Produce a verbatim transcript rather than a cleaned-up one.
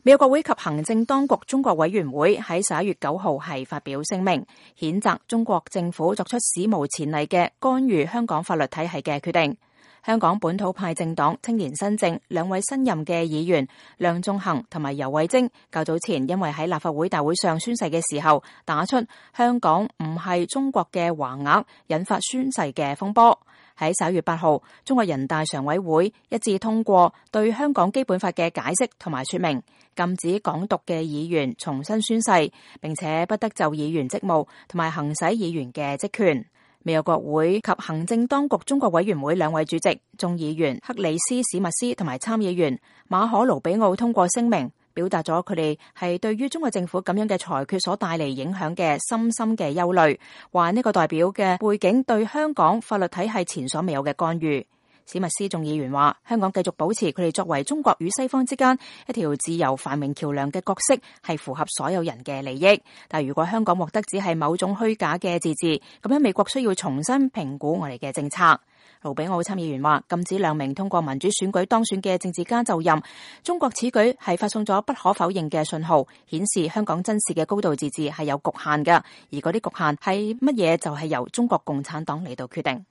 美國國會及行政當局中國委員會喺十一月九號係發表聲明，譴責中國政府作出史無前例嘅干預香港法律體系嘅決定。香港本土派政黨青年新政兩位新任嘅議員梁頌恆同埋游蕙禎，較早前因為喺立法會大會上宣誓嘅時候打出香港唔係中國嘅橫額，引發宣誓嘅風波。喺十一月八號，中國人大常委會一致通過對香港基本法嘅解釋同埋說明，禁止港獨嘅議員重新宣誓，並且不得就議員職務同埋行使議員嘅職權。美國國會及行政當局中國委員會兩位主席、眾議員克里斯史密斯同埋參議員馬可盧比奧通過聲明，表達咗佢哋係對於中國政府咁樣嘅裁決所帶嚟影響嘅深深嘅憂慮，話呢個代表嘅背景對香港法律體系前所未有嘅干預。史密斯眾議員話，香港繼續保持佢哋作為中國與西方之間一條自由繁榮橋樑嘅角色，係符合所有人嘅利益。但如果香港獲得只係某種虛假嘅自治，咁樣美國需要重新評估我哋嘅政策。盧比奧參議員話，禁止兩名通過民主選舉當選嘅政治家就任，中國此舉係發送咗不可否認嘅信號，顯示香港真實嘅高度自治係有局限嘅，而嗰啲局限係乜嘢就係由中國共產黨嚟到決定。